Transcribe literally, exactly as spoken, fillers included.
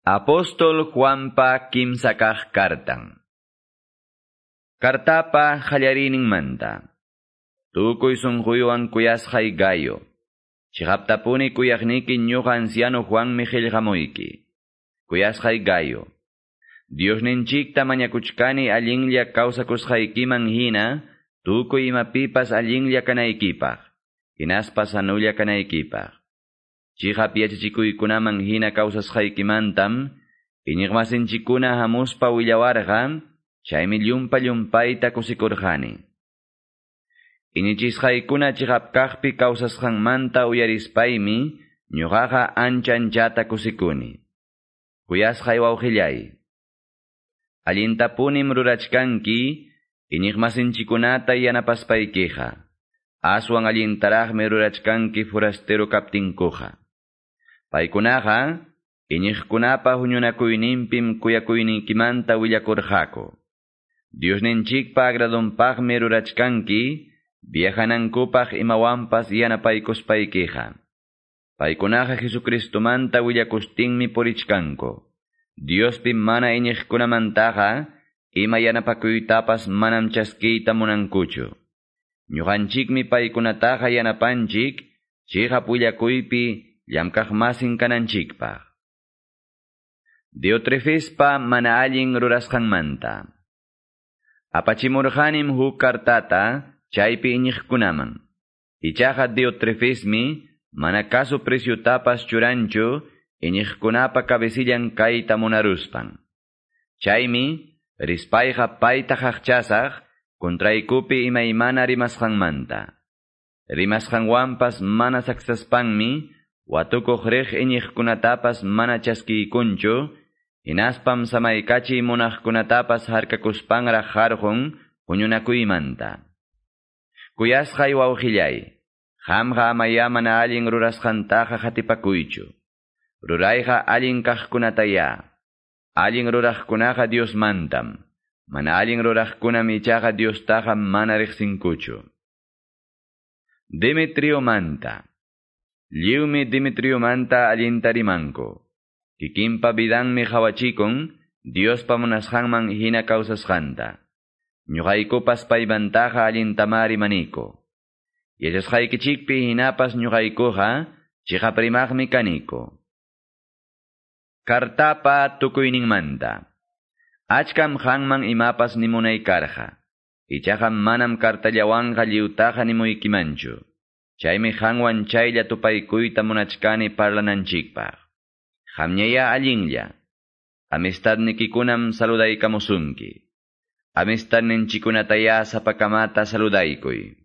Apóstol Juanpa kimsa kaq kartan. Kartapa qallariyninmanta. Tukuy sunquywan kuyasqay Gayo. Chiqaptapuni kuyaqniki ñuqa anciano Juanmi qillqamuyki. Kuyasqay Gayo. Diosninchikta mañakuchkani allinlla kawsakusqaykiman hina, tukuy imapipas allinlla kanaykipaq, hinaspa sanulla kanaykipaq. Chiqap yachachikuykunaman hina kawsasqaykimantam, iñiqmasinchikkuna hamuspa willawarqa, chaymi llumpa llumpayta kusikurqani. Iñichisqaykuna chiqap kaqpi kawsasqanmanta uyarispaymi, ñuqaqa ancha anchata kusikuni. Kuyasqay wawqillay. Allintapunim rurachkanki, iñiqmasinchikkunata yanapaspaykiqa. Aswan allintaraqmi rurachkanki forastero kaptinkuqa. Paykunaqa, iñiqkunapa huñunakuyninpim kuyakuyniykimanta willakurqaku. Diosninchikpa agradonpaqmi rurachkanki, viajanankupaq imawanpas yanapaykuspaykiqa. Paykunaqa Jesucristomanta willakustinmi purichkanku. Diospi mana iñiqkunamantaqa, ima yanapakuytapas manam chaskiyta munankuchu. Ñuqanchikmi paykunataqa yanapanchik, chiqap willakuypi llamkaqmasin kananchikpaq. Diotrefespa mana allin rurasqanmanta. Apachimurqanim huk kartata chaypi iñiqkunaman. Ichaqa Diotrefesmi mana kasu presyutapas churanchu iñiqkunapa cabecillan kayta munaruspan. Chaymi rispayqa payta qaqchasaq kontraykupi imaymana rimasqanmanta. Rimasqanwanpas mana saksaspanmi watukuq riq iñiqkunatapas mana chaskiykunchu, hinaspam samaykachiy munaqkunatapas harkakuspanraq harqun huñunakuymanta. Kuyasqay wawqillay, qamqa amaya mana allin rurasqantaqa qatipakuychu. Rurayqa allin kaqkunataya. Allin ruraqkunaqa Diosmantam. Mana allin ruraqkunam ichaqa Diostaqa mana riqsinkuchu. Demetriomanta. Lliwmi Demetriomanta allinta rimanku. Kikinpa vidanmi qhawachikun, Diospa munasqanman hina kawsasqanta. Ñuqaykupas paymantaqa allintamá rimaniku. Yachasqaykichikpi hinapas ñuqaykuqa chiqap rimaqmi kaniku. Kartapa tukuyninmanta. Achkam qanman imapas nimunay karqa. Ichaqa manam kartallawanqa lliwtaqa nimuykimanchu. Chaymi qanwan chaylla tupaykuyta munachkani parlananchikpaq. Qamñaya allinlla. Amistadnikikunam saludaykamusunki. Amistadninchikunataya sapakamata saludaykuy.